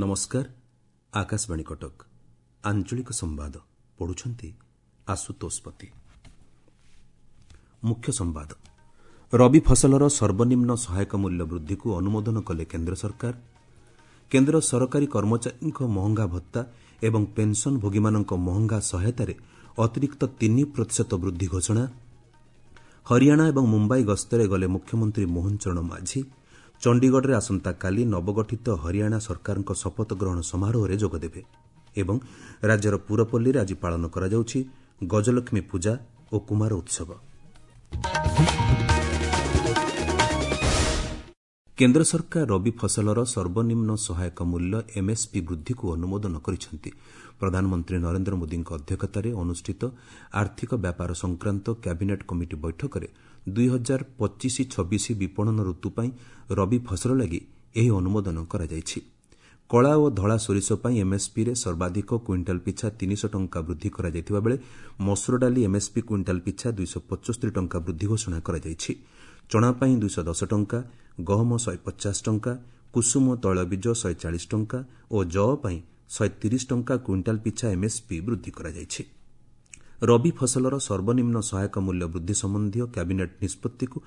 ନମସ୍କାର, ଆକାଶବାଣୀ କଟକ। ଆଞ୍ଚଳିକ ସମ୍ବାଦ ପଢୁଛନ୍ତି ଆଶୁତୋଷ ପତି। ମୁଖ୍ୟ ସମ୍ବାଦ। ରବି ଫସଲର ସର୍ବନିମ୍ନ ସହାୟକ ମୂଲ୍ୟ ବୃଦ୍ଧିକୁ ଅନୁମୋଦନ କଲେ କେନ୍ଦ୍ର ସରକାର। କେନ୍ଦ୍ର ସରକାରୀ କର୍ମଚାରୀଙ୍କ ମହଙ୍ଗା ଭତ୍ତା ଏବଂ ପେନ୍ସନଭୋଗୀମାନଙ୍କ ମହଙ୍ଗା ସହାୟତାରେ ଅତିରିକ୍ତ 3% ବୃଦ୍ଧି ଘୋଷଣା। ହରିୟାଣା ଏବଂ ମୁମ୍ବାଇ ଗସ୍ତରେ ଗଲେ ମୁଖ୍ୟମନ୍ତ୍ରୀ ମୋହନ ଚରଣ ମାଝୀ। ଚଣ୍ଡିଗଡ଼ରେ ଆସନ୍ତାକାଲି ନବଗଠିତ ହରିୟାଣା ସରକାରଙ୍କ ଶପଥ ଗ୍ରହଣ ସମାରୋହରେ ଯୋଗଦେବେ। ଏବଂ ରାଜ୍ୟର ପୁରପଲ୍ଲୀରେ ଆଜି ପାଳନ କରାଯାଉଛି ଗଜଲକ୍ଷ୍ମୀ ପୂଜା ଓ କୁମାର ଉତ୍ସବ। କେନ୍ଦ୍ର ସରକାର ରବି ଫସଲର ସର୍ବନିମ୍ନ ସହାୟକ ମୂଲ୍ୟ ଏମ୍ଏସ୍ପି ବୃଦ୍ଧିକୁ ଅନୁମୋଦନ କରିଛନ୍ତି। ପ୍ରଧାନମନ୍ତ୍ରୀ ନରେନ୍ଦ୍ର ମୋଦିଙ୍କ ଅଧ୍ୟକ୍ଷତାରେ ଅନୁଷ୍ଠିତ ଆର୍ଥିକ ବ୍ୟାପାର ସଂକ୍ରାନ୍ତ କ୍ୟାବିନେଟ୍ କମିଟି ବୈଠକରେ 2025-26 ବିପଣନ ଋତୁ ପାଇଁ ରବି ଫସଲ ଲାଗି ଏହି ଅନୁମୋଦନ କରାଯାଇଛି। କଳା ଓ ଧଳା ସୋରିଷ ପାଇଁ ଏମ୍ଏସ୍ପିରେ ସର୍ବାଧିକ କୁଇଣ୍ଟାଲ ପିଛା 300 ଟଙ୍କା ବୃଦ୍ଧି କରାଯାଇଥିବା ବେଳେ ମସୁର ଡାଲି ଏମ୍ଏସ୍ପି କୁଇଣ୍ଟାଲ ପିଛା 275 ଟଙ୍କା ବୃଦ୍ଧି ଘୋଷଣା କରାଯାଇଛି। ଚଣା ପାଇଁ 210 ଟଙ୍କା, ଗହମ 150 ଟଙ୍କା, କୁସୁମ ତୈଳବୀଜ 140 ଟଙ୍କା ଓ ଯଅ ପାଇଁ 130 ଟଙ୍କା କୁଇଣ୍ଟାଲ ପିଛା ଏମ୍ଏସ୍ପି ବୃଦ୍ଧି କରାଯାଇଛି। ରବି ଫସଲର ସର୍ବନିମ୍ନ ସହାୟକ ମୂଲ୍ୟ ବୃଦ୍ଧି ସମ୍ବନ୍ଧୀୟ କ୍ୟାବିନେଟ୍ ନିଷ୍ପତ୍ତିକୁ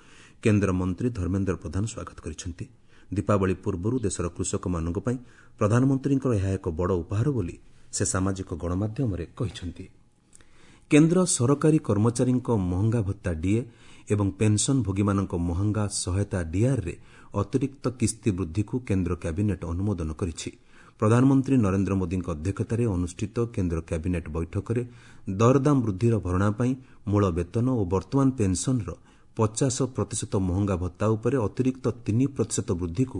କେନ୍ଦ୍ର ମନ୍ତ୍ରୀ ଧର୍ମେନ୍ଦ୍ର ପ୍ରଧାନ ସ୍ୱାଗତ କରିଛନ୍ତି। ଦୀପାବଳି ପୂର୍ବରୁ ଦେଶର କୃଷକମାନଙ୍କ ପାଇଁ ପ୍ରଧାନମନ୍ତ୍ରୀଙ୍କର ଏହା ଏକ ବଡ଼ ଉପହାର ବୋଲି ସେ ସାମାଜିକ ଗଣମାଧ୍ୟମରେ କହିଛନ୍ତି। କେନ୍ଦ୍ର ସରକାରୀ କର୍ମଚାରୀଙ୍କ ମହଙ୍ଗା ଭତ୍ତା ଡିଏ ଏବଂ ପେନ୍ସନଭୋଗୀମାନଙ୍କ ମହଙ୍ଗା ସହାୟତା ଡିଆର୍ରେ ଅତିରିକ୍ତ କିସ୍ତି ବୃଦ୍ଧିକୁ କେନ୍ଦ୍ର କ୍ୟାବିନେଟ୍ ଅନୁମୋଦନ କରିଛି। ପ୍ରଧାନମନ୍ତ୍ରୀ ନରେନ୍ଦ୍ର ମୋଦିଙ୍କ ଅଧ୍ୟକ୍ଷତାରେ ଅନୁଷ୍ଠିତ କେନ୍ଦ୍ର କ୍ୟାବିନେଟ୍ ବୈଠକରେ ଦରଦାମ ବୃଦ୍ଧିର ଭରଣା ପାଇଁ ମୂଳ ବେତନ ଓ ବର୍ତ୍ତମାନ ପେନ୍ସନର 50% ମହଙ୍ଗା ଭତ୍ତା ଉପରେ ଅତିରିକ୍ତ 3% ବୃଦ୍ଧିକୁ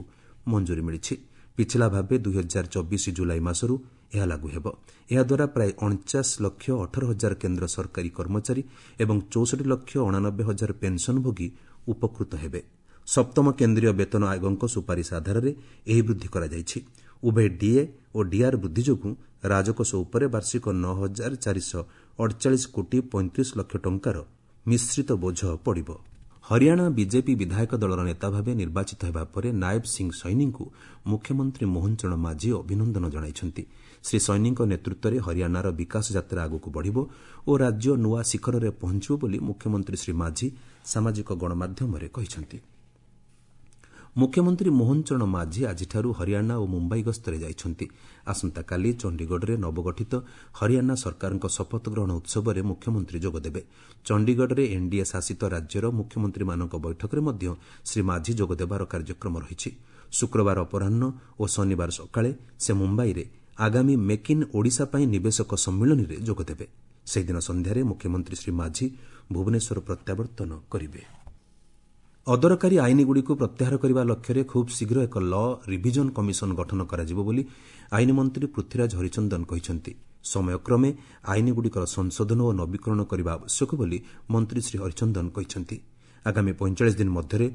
ମଞ୍ଜୁରୀ ମିଳିଛି। ପିଛିଲା ଭାବେ 2024 ଜୁଲାଇ ମାସରୁ ଏହା ଲାଗୁ ହେବ। ଏହାଦ୍ୱାରା ପ୍ରାୟ 49 ଲକ୍ଷ 18 ହଜାର କେନ୍ଦ୍ର ସରକାରୀ କର୍ମଚାରୀ ଏବଂ 64 ଲକ୍ଷ 89 ହଜାର ପେନ୍ସନଭୋଗୀ ଉପକୃତ ହେବେ। ସପ୍ତମ କେନ୍ଦ୍ରୀୟ ବେତନ ଆୟୋଗଙ୍କ ସୁପାରିଶ ଆଧାରରେ ଏହି ବୃଦ୍ଧି କରାଯାଇଛି। ଉଭୟ ଡିଏ ଓ ଡିଆର୍ ବୃଦ୍ଧି ଯୋଗୁଁ ରାଜକୋଷ ଉପରେ ବାର୍ଷିକ 9448 କୋଟି 35 ଲକ୍ଷ ଟଙ୍କାର ମିଶ୍ରିତ ବୋଝ ପଡ଼ିବ। ହରିୟାଣା ବିଜେପି ବିଧାୟକ ଦଳର ନେତା ଭାବେ ନିର୍ବାଚିତ ହେବା ପରେ ନାଏବ ସିଂ ସୈନୀଙ୍କୁ ମୁଖ୍ୟମନ୍ତ୍ରୀ ମୋହନ ଚରଣ ମାଝୀ ଅଭିନନ୍ଦନ ଜଣାଇଛନ୍ତି। ଶ୍ରୀ ସୈନୀଙ୍କ ନେତୃତ୍ୱରେ ହରିୟାଣାର ବିକାଶ ଯାତ୍ରା ଆଗକୁ ବଢ଼ିବ ଓ ରାଜ୍ୟ ନୂଆ ଶିଖରରେ ପହଞ୍ଚିବ ବୋଲି ମୁଖ୍ୟମନ୍ତ୍ରୀ ଶ୍ରୀ ମାଝୀ ସାମାଜିକ ଗଣମାଧ୍ୟମରେ କହିଛନ୍ତି। ମୁଖ୍ୟମନ୍ତ୍ରୀ ମୋହନ ଚରଣ ମାଝୀ ଆଜିଠାରୁ ହରିୟାଣା ଓ ମୁମ୍ବାଇ ଗସ୍ତରେ ଯାଇଛନ୍ତି। ଆସନ୍ତାକାଲି ଚଣ୍ଡିଗଡ଼ରେ ନବଗଠିତ ହରିୟାଣା ସରକାରଙ୍କ ଶପଥ ଗ୍ରହଣ ଉତ୍ସବରେ ମୁଖ୍ୟମନ୍ତ୍ରୀ ଯୋଗଦେବେ। ଚଣ୍ଡିଗଡ଼ରେ ଏନ୍ଡିଏ ଶାସିତ ରାଜ୍ୟର ମୁଖ୍ୟମନ୍ତ୍ରୀମାନଙ୍କ ବୈଠକରେ ମଧ୍ୟ ଶ୍ରୀ ମାଝୀ ଯୋଗଦେବାର କାର୍ଯ୍ୟକ୍ରମ ରହିଛି। ଶୁକ୍ରବାର ଅପରାହ୍ନ ଓ ଶନିବାର ସକାଳେ ସେ ମୁମ୍ବାଇରେ ଆଗାମୀ ମେକ୍ ଇନ୍ ଓଡ଼ିଶା ପାଇଁ ନିବେଶକ ସମ୍ମିଳନୀରେ ଯୋଗଦେବେ। ସେହିଦିନ ସନ୍ଧ୍ୟାରେ ମୁଖ୍ୟମନ୍ତ୍ରୀ ଶ୍ରୀ ମାଝୀ ଭୁବନେଶ୍ୱର ପ୍ରତ୍ୟାବର୍ତ୍ତନ କରିବେ। ଅଦରକାରୀ ଆଇନଗୁଡ଼ିକୁ ପ୍ରତ୍ୟାହାର କରିବା ଲକ୍ଷ୍ୟରେ ଖୁବ୍ ଶୀଘ୍ର ଏକ ଲ ରିଭିଜନ କମିଶନ ଗଠନ କରାଯିବ ବୋଲି ଆଇନ ମନ୍ତ୍ରୀ ପୃଥ୍ୱୀରାଜ ହରିଚନ୍ଦନ କହିଛନ୍ତି। ସମୟକ୍ରମେ ଆଇନଗୁଡ଼ିକର ସଂଶୋଧନ ଓ ନବୀକରଣ କରିବା ଆବଶ୍ୟକ ବୋଲି ମନ୍ତ୍ରୀ ଶ୍ରୀ ହରିଚନ୍ଦନ କହିଛନ୍ତି। ଆଗାମୀ 45 ଦିନ ମଧ୍ୟରେ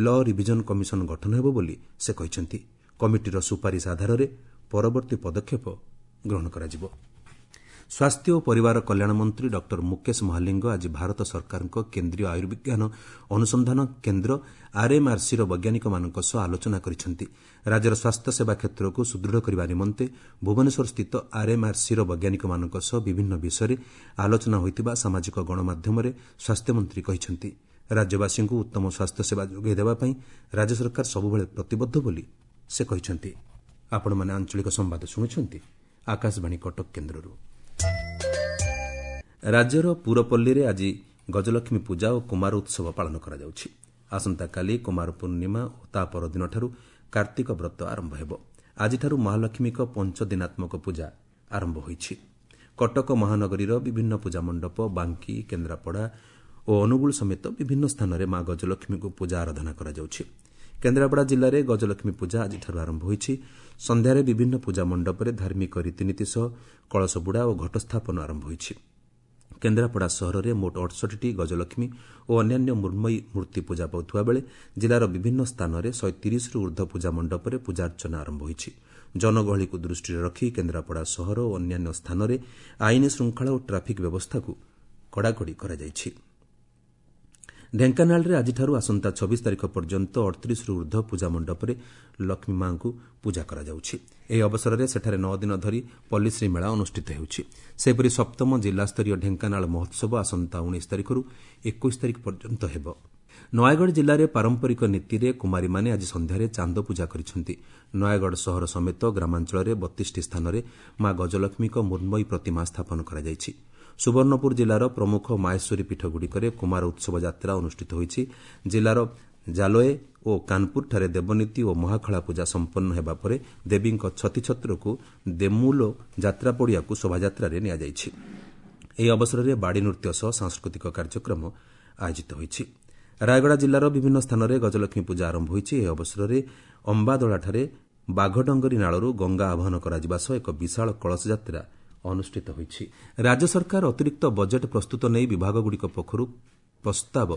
ଲ ରିଭିଜନ କମିଶନ ଗଠନ ହେବ ବୋଲି ସେ କହିଛନ୍ତି। କମିଟିର ସୁପାରିଶ ଆଧାରରେ ପରବର୍ତ୍ତୀ ପଦକ୍ଷେପ ଗ୍ରହଣ କରାଯିବ। ସ୍ୱାସ୍ଥ୍ୟ ଓ ପରିବାର କଲ୍ୟାଣ ମନ୍ତ୍ରୀ ଡକ୍ଟର ମୁକେଶ ମହାଲିଙ୍ଗ ଆଜି ଭାରତ ସରକାରଙ୍କ କେନ୍ଦ୍ରୀୟ ଆୟୁର୍ବିଜ୍ଞାନ ଅନୁସନ୍ଧାନ କେନ୍ଦ୍ର ଆର୍ଏମ୍ଆର୍ସିର ବୈଜ୍ଞାନିକମାନଙ୍କ ସହ ଆଲୋଚନା କରିଛନ୍ତି। ରାଜ୍ୟର ସ୍ୱାସ୍ଥ୍ୟସେବା କ୍ଷେତ୍ରକୁ ସୁଦୃଢ଼ କରିବା ନିମନ୍ତେ ଭୁବନେଶ୍ୱରସ୍ଥିତ ଆର୍ଏମ୍ଆର୍ସିର ବୈଜ୍ଞାନିକମାନଙ୍କ ସହ ବିଭିନ୍ନ ବିଷୟରେ ଆଲୋଚନା ହୋଇଥିବା ସାମାଜିକ ଗଣମାଧ୍ୟମରେ ସ୍ୱାସ୍ଥ୍ୟମନ୍ତ୍ରୀ କହିଛନ୍ତି। ରାଜ୍ୟବାସୀଙ୍କୁ ଉତ୍ତମ ସ୍ୱାସ୍ଥ୍ୟସେବା ଯୋଗାଇ ଦେବା ପାଇଁ ରାଜ୍ୟ ସରକାର ସବୁବେଳେ ପ୍ରତିବଦ୍ଧ ବୋଲି ସେ କହିଛନ୍ତି। ଆପଣମାନେ ଆଞ୍ଚଳିକ ସମ୍ବାଦ ଶୁଣୁଛନ୍ତି ଆକାଶବାଣୀ କଟକ କେନ୍ଦ୍ରରୁ। ରାଜ୍ୟର ପୁରପଲ୍ଲୀରେ ଆଜି ଗଜଲକ୍ଷ୍ମୀ ପୂଜା ଓ କୁମାର ଉତ୍ସବ ପାଳନ କରାଯାଉଛି। ଆସନ୍ତାକାଲି କୁମାର ପୂର୍ଣ୍ଣିମା ଓ ତା ପରଦିନଠାରୁ କାର୍ତ୍ତିକ ବ୍ରତ ଆରମ୍ଭ ହେବ। ଆଜିଠାରୁ ମହାଲକ୍ଷ୍ମୀଙ୍କ ପଞ୍ଚଦିନାତ୍ମକ ପୂଜା ଆରମ୍ଭ ହୋଇଛି। କଟକ ମହାନଗରୀର ବିଭିନ୍ନ ପୂଜା ମଣ୍ଡପ, ବାଙ୍କି, କେନ୍ଦ୍ରାପଡ଼ା ଓ ଅନୁଗୁଳ ସମେତ ବିଭିନ୍ନ ସ୍ଥାନରେ ମା ଗଜଲକ୍ଷ୍ମୀଙ୍କୁ ପୂଜା ଆରାଧନା କରାଯାଉଛି। କେନ୍ଦ୍ରାପଡ଼ା ଜିଲ୍ଲାରେ ଗଜଲକ୍ଷ୍ମୀ ପୂଜା ଆଜିଠାରୁ ଆରମ୍ଭ ହୋଇଛି। ସନ୍ଧ୍ୟାରେ ବିଭିନ୍ନ ପୂଜା ମଣ୍ଡପରେ ଧାର୍ମିକ ରୀତିନୀତି ସହ କଳସ ବୁଡ଼ା ଓ ଘଟସ୍ଥାପନ ଆରମ୍ଭ ହୋଇଛି। କେନ୍ଦ୍ରାପଡ଼ା ସହରରେ ମୋଟ 68ଟି ଗଜଲକ୍ଷ୍ମୀ ଓ ଅନ୍ୟାନ୍ୟ ମୃଣ୍ମୟୀ ମୂର୍ତ୍ତି ପୂଜା ପାଉଥିବା ବେଳେ ଜିଲ୍ଲାର ବିଭିନ୍ନ ସ୍ଥାନରେ 130ରୁ ଉର୍ଦ୍ଧ୍ୱ ପୂଜା ମଣ୍ଡପରେ ପୂଜାର୍ଚ୍ଚନା ଆରମ୍ଭ ହୋଇଛି। ଜନଗହଳିକୁ ଦୃଷ୍ଟିରେ ରଖି କେନ୍ଦ୍ରାପଡ଼ା ସହର ଓ ଅନ୍ୟାନ୍ୟ ସ୍ଥାନରେ ଆଇନ ଶୃଙ୍ଖଳା ଓ ଟ୍ରାଫିକ୍ ବ୍ୟବସ୍ଥାକୁ କଡ଼ାକଡ଼ି କରାଯାଇଛି। ଢେଙ୍କାନାଳରେ ଆଜିଠାରୁ ଆସନ୍ତା 26 ତାରିଖ ପର୍ଯ୍ୟନ୍ତ 38ରୁ ଉର୍ଦ୍ଧ୍ୱ ପୂଜା ମଣ୍ଡପରେ ଲକ୍ଷ୍ମୀ ମାଙ୍କୁ ପୂଜା କରାଯାଉଛି। ଏହି ଅବସରରେ ସେଠାରେ 9 ଦିନ ଧରି ପଲ୍ଲୀଶ୍ରୀ ମେଳା ଅନୁଷ୍ଠିତ ହେଉଛି। ସେହିପରି ସପ୍ତମ ଜିଲ୍ଲାସ୍ତରୀୟ ଢେଙ୍କାନାଳ ମହୋତ୍ସବ ଆସନ୍ତା 19 ତାରିଖରୁ 21 ତାରିଖ ପର୍ଯ୍ୟନ୍ତ ହେବ। ନୟାଗଡ଼ ଜିଲ୍ଲାରେ ପାରମ୍ପରିକ ନୀତିରେ କୁମାରୀମାନେ ଆଜି ସନ୍ଧ୍ୟାରେ ଚାନ୍ଦ ପୂଜା କରିଛନ୍ତି। ନୟାଗଡ଼ ସହର ସମେତ ଗ୍ରାମାଞ୍ଚଳରେ 32ଟି ସ୍ଥାନରେ ମା ଗଜଲକ୍ଷ୍ମୀଙ୍କ ମୃଣ୍ମୟୀ ପ୍ରତିମା ସ୍ଥାପନ କରାଯାଇଛି। ସୁବର୍ଣ୍ଣପୁର ଜିଲ୍ଲାର ପ୍ରମୁଖ ମାହେଶ୍ୱରୀ ପୀଠଗୁଡ଼ିକରେ କୁମାର ଉତ୍ସବ ଯାତ୍ରା ଅନୁଷ୍ଠିତ ହୋଇଛି। ଜିଲ୍ଲାର ଜାଲୋଏ ଓ କାନପୁରଠାରେ ଦେବନୀତି ଓ ମହାଖଳା ପୂଜା ସମ୍ପନ୍ନ ହେବା ପରେ ଦେବୀଙ୍କ ଛତିଛତ୍ରକୁ ଦେମୁଲୋ ଯାତ୍ରା ପଡ଼ିଆକୁ ଶୋଭାଯାତ୍ରାରେ ନିଆଯାଇଛି। ଏହି ଅବସରରେ ବାଡ଼ି ନୃତ୍ୟ ସହ ସାଂସ୍କୃତିକ କାର୍ଯ୍ୟକ୍ରମ ଆୟୋଜିତ ହୋଇଛି। ରାୟଗଡ଼ା ଜିଲ୍ଲାର ବିଭିନ୍ନ ସ୍ଥାନରେ ଗଜଲକ୍ଷ୍ମୀ ପୂଜା ଆରମ୍ଭ ହୋଇଛି। ଏହି ଅବସରରେ ଅମ୍ବାଦଳାଠାରେ ବାଘଡଙ୍ଗରୀ ନାଳରୁ ଗଙ୍ଗା ଆବାହନ କରାଯିବା ସହ ଏକ ବିଶାଳ କଳସ ଯାତ୍ରା ଅନୁଷ୍ଠିତ ହୋଇଛି। ରାଜ୍ୟ ସରକାର ଅତିରିକ୍ତ ବଜେଟ୍ ପ୍ରସ୍ତୁତ ନେଇ ବିଭାଗଗୁଡ଼ିକ ପକ୍ଷରୁ ପ୍ରସ୍ତାବ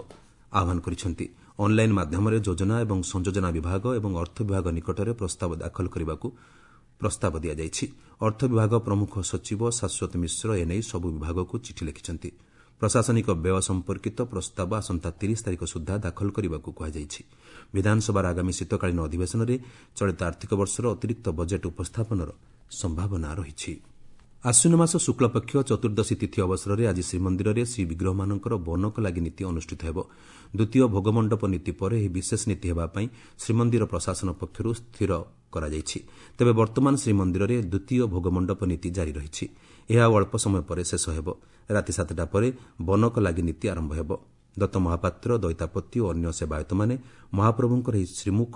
ଆହ୍ୱାନ କରିଛନ୍ତି। ଅନ୍ଲାଇନ୍ ମାଧ୍ୟମରେ ଯୋଜନା ଏବଂ ସଂଯୋଜନା ବିଭାଗ ଏବଂ ଅର୍ଥ ବିଭାଗ ନିକଟରେ ପ୍ରସ୍ତାବ ଦାଖଲ କରିବାକୁ ପ୍ରସ୍ତାବ ଦିଆଯାଇଛି। ଅର୍ଥ ବିଭାଗ ପ୍ରମୁଖ ସଚିବ ଶାଶ୍ୱତ ମିଶ୍ର ଏନେଇ ସବୁ ବିଭାଗକୁ ଚିଠି ଲେଖିଛନ୍ତି। ପ୍ରଶାସନିକ ବ୍ୟୟ ସମ୍ପର୍କିତ ପ୍ରସ୍ତାବ ଆସନ୍ତା 30 ତାରିଖ ସୁଦ୍ଧା ଦାଖଲ କରିବାକୁ କୁହାଯାଇଛି। ବିଧାନସଭାର ଆଗାମୀ ଶୀତକାଳୀନ ଅଧିବେଶନରେ ଚଳିତ ଆର୍ଥିକ ବର୍ଷର ଅତିରିକ୍ତ ବଜେଟ୍ ଉପସ୍ଥାପନର ସମ୍ଭାବନା ରହିଛି। ଆଶ୍ୱିନ ମାସ ଶୁକ୍ଳପକ୍ଷ ଚତୁର୍ଦ୍ଦଶୀ ତିଥି ଅବସରରେ ଆଜି ଶ୍ରୀମନ୍ଦିରରେ ଶ୍ରୀବିଗ୍ରହମାନଙ୍କର ବନକ ଲାଗି ନୀତି ଅନୁଷ୍ଠିତ ହେବ। ଦ୍ୱିତୀୟ ଭୋଗମଣ୍ଡପ ନୀତି ପରେ ଏହି ବିଶେଷ ନୀତି ହେବା ପାଇଁ ଶ୍ରୀମନ୍ଦିର ପ୍ରଶାସନ ପକ୍ଷରୁ ସ୍ଥିର କରାଯାଇଛି। ତେବେ ବର୍ତ୍ତମାନ ଶ୍ରୀମନ୍ଦିରରେ ଦ୍ୱିତୀୟ ଭୋଗମଣ୍ଡପ ନୀତି ଜାରି ରହିଛି। ଏହା ଆଉ ଅଳ୍ପ ସମୟ ପରେ ଶେଷ ହେବ। ରାତି 7ଟା ପରେ ବନକ ଲାଗି ନୀତି ଆରମ୍ଭ ହେବ। ଦତ୍ତ ମହାପାତ୍ର, ଦଇତାପତି ଓ ଅନ୍ୟ ସେବାୟତମାନେ ମହାପ୍ରଭୁଙ୍କର ଏହି ଶ୍ରୀମୁଖ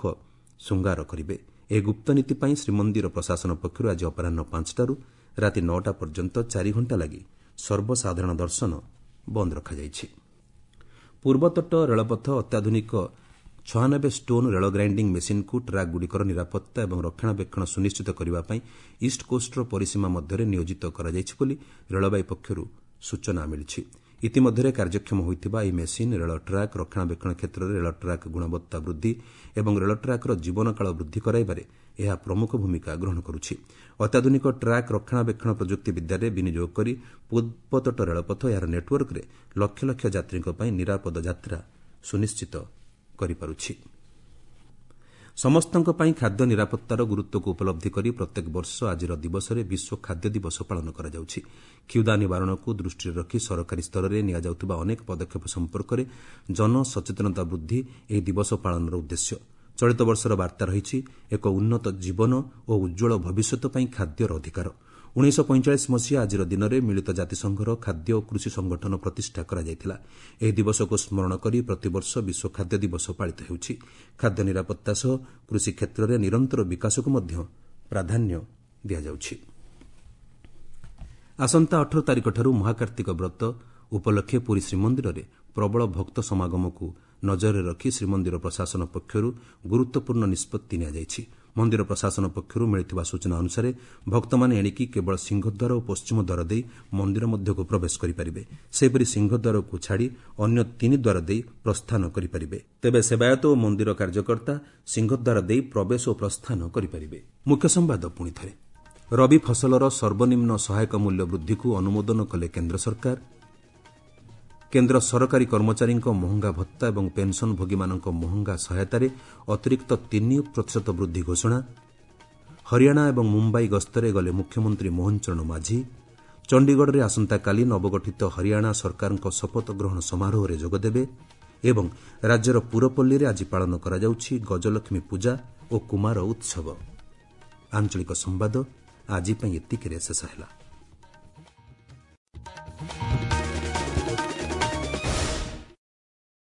ଶୃଙ୍ଗାର କରିବେ। ଏହି ଗୁପ୍ତ ନୀତି ପାଇଁ ଶ୍ରୀମନ୍ଦିର ପ୍ରଶାସନ ପକ୍ଷରୁ ଆଜି ଅପରାହ୍ନ 5ଟାରୁ ରାତି 9ଟା ପର୍ଯ୍ୟନ୍ତ 4 ଘଣ୍ଟା ଲାଗି ସର୍ବସାଧାରଣ ଦର୍ଶନ ବନ୍ଦ ରଖାଯାଇଛି। ପୂର୍ବତଟ ରେଳପଥ ଅତ୍ୟାଧୁନିକ 96 ଷ୍ଟୋନ୍ ରେଳ ଗ୍ରାଇଣ୍ଡିଂ ମେସିନ୍କୁ ଟ୍ରାକ୍ଗୁଡ଼ିକର ନିରାପତ୍ତା ଏବଂ ରକ୍ଷଣାବେକ୍ଷଣ ସୁନିଶ୍ଚିତ କରିବା ପାଇଁ ଇଷ୍ଟକୋଷ୍ଟର ପରିସୀମା ମଧ୍ୟରେ ନିୟୋଜିତ କରାଯାଇଛି ବୋଲି ରେଳବାଇ ପକ୍ଷରୁ ସୂଚନା ମିଳିଛି। ଇତିମଧ୍ୟରେ କାର୍ଯ୍ୟକ୍ଷମ ହୋଇଥିବା ଏହି ମେସିନ୍ ରେଳ ଟ୍ରାକ୍ ରକ୍ଷଣାବେକ୍ଷଣ କ୍ଷେତ୍ରରେ ରେଳ ଟ୍ରାକ୍ ଗୁଣବତ୍ତା ବୃଦ୍ଧି ଏବଂ ରେଳ ଟ୍ରାକ୍ର ଜୀବନକାଳ ବୃଦ୍ଧି କରାଇବାରେ ଏହା ପ୍ରମୁଖ ଭୂମିକା ଗ୍ରହଣ କରୁଛି। ଅତ୍ୟାଧୁନିକ ଟ୍ରାକ୍ ରକ୍ଷଣାବେକ୍ଷଣ ପ୍ରଯୁକ୍ତି ବିଦ୍ୟାରେ ବିନିଯୋଗ କରି ପୂର୍ବତଟ ରେଳପଥ ଏହାର ନେଟ୍ୱର୍କରେ ଲକ୍ଷ ଲକ୍ଷ ଯାତ୍ରୀଙ୍କ ପାଇଁ ନିରାପଦ ଯାତ୍ରା ସୁନିଶ୍ଚିତ କରିପାରୁଛି। ସମସ୍ତଙ୍କ ପାଇଁ ଖାଦ୍ୟ ନିରାପତ୍ତାର ଗୁରୁତ୍ୱକୁ ଉପଲବ୍ଧି କରି ପ୍ରତ୍ୟେକ ବର୍ଷ ଆଜିର ଦିବସରେ ବିଶ୍ୱ ଖାଦ୍ୟ ଦିବସ ପାଳନ କରାଯାଉଛି। କ୍ଷୁଧା ନିବାରଣକୁ ଦୃଷ୍ଟିରେ ରଖି ସରକାରୀ ସ୍ତରରେ ନିଆଯାଉଥିବା ଅନେକ ପଦକ୍ଷେପ ସମ୍ପର୍କରେ ଜନସଚେତନତା ବୃଦ୍ଧି ଏହି ଦିବସ ପାଳନର ଉଦ୍ଦେଶ୍ୟ। ଚଳିତ ବର୍ଷର ବାର୍ତ୍ତା ରହିଛି ଏକ ଉନ୍ନତ ଜୀବନ ଓ ଉଜ୍ଜ୍ୱଳ ଭବିଷ୍ୟତ ପାଇଁ ଖାଦ୍ୟର ଅଧିକାର। 1945 ମସିହା ଆଜିର ଦିନରେ ମିଳିତ ଜାତିସଂଘର ଖାଦ୍ୟ ଓ କୃଷି ସଂଗଠନ ପ୍ରତିଷ୍ଠା କରାଯାଇଥିଲା। ଏହି ଦିବସକୁ ସ୍ମରଣ କରି ପ୍ରତିବର୍ଷ ବିଶ୍ୱ ଖାଦ୍ୟ ଦିବସ ପାଳିତ ହେଉଛି। ଖାଦ୍ୟ ନିରାପତ୍ତା ସହ କୃଷି କ୍ଷେତ୍ରରେ ନିରନ୍ତର ବିକାଶକୁ ମଧ୍ୟ ପ୍ରାଧାନ୍ୟ ଦିଆଯାଉଛି। ଆସନ୍ତା 18 ତାରିଖଠାରୁ ମହାକାର୍ତ୍ତିକ ବ୍ରତ ଉପଲକ୍ଷେ ପୁରୀ ଶ୍ରୀମନ୍ଦିରରେ ପ୍ରବଳ ଭକ୍ତ ସମାଗମକୁ ନଜରରେ ରଖି ଶ୍ରୀମନ୍ଦିର ପ୍ରଶାସନ ପକ୍ଷରୁ ଗୁରୁତ୍ୱପୂର୍ଣ୍ଣ ନିଷ୍ପତ୍ତି ନିଆଯାଇଛି। ମନ୍ଦିର ପ୍ରଶାସନ ପକ୍ଷରୁ ମିଳିଥିବା ସୂଚନା ଅନୁସାରେ ଭକ୍ତମାନେ ଏଣିକି କେବଳ ସିଂହଦ୍ୱାର ଓ ପଶ୍ଚିମଦ୍ୱାର ଦେଇ ମନ୍ଦିର ମଧ୍ୟକୁ ପ୍ରବେଶ କରିପାରିବେ। ସେହିପରି ସିଂହଦ୍ୱାରକୁ ଛାଡ଼ି ଅନ୍ୟ 3 ଦ୍ୱାର ଦେଇ ପ୍ରସ୍ଥାନ କରିପାରିବେ। ତେବେ ସେବାୟତ ଓ ମନ୍ଦିର କାର୍ଯ୍ୟକର୍ତ୍ତା ସିଂହଦ୍ୱାର ଦେଇ ପ୍ରବେଶ ଓ ପ୍ରସ୍ଥାନ କରିପାରିବେ। ମୁଖ୍ୟ ସମ୍ବାଦ ପୁଣି ଥରେ। ରବି ଫସଲର ସର୍ବନିମ୍ନ ସହାୟକ ମୂଲ୍ୟ ବୃଦ୍ଧିକୁ ଅନୁମୋଦନ କଲେ କେନ୍ଦ୍ର ସରକାର। କେନ୍ଦ୍ର ସରକାରୀ କର୍ମଚାରୀଙ୍କ ମହଙ୍ଗା ଭତ୍ତା ଏବଂ ପେନ୍ସନ୍ଭୋଗୀମାନଙ୍କ ମହଙ୍ଗା ସହାୟତାରେ ଅତିରିକ୍ତ 3% ବୃଦ୍ଧି ଘୋଷଣା। ହରିୟାଣା ଏବଂ ମୁମ୍ବାଇ ଗସ୍ତରେ ଗଲେ ମୁଖ୍ୟମନ୍ତ୍ରୀ ମୋହନ ଚରଣ ମାଝୀ। ଚଣ୍ଡିଗଡ଼ରେ ଆସନ୍ତାକାଲି ନବଗଠିତ ହରିୟାଣା ସରକାରଙ୍କ ଶପଥ ଗ୍ରହଣ ସମାରୋହରେ ଯୋଗଦେବେ ଏବଂ ରାଜ୍ୟର ପୁରପଲ୍ଲୀରେ ଆଜି ପାଳନ କରାଯାଉଛି ଗଜଲକ୍ଷ୍ମୀ ପୂଜା ଓ କୁମାର ଉତ୍ସବ। ଆଞ୍ଚଳିକ ସମ୍ବାଦ ଆଜି ପାଇଁ ଏତିକିରେ ଶେଷ ହେଲା।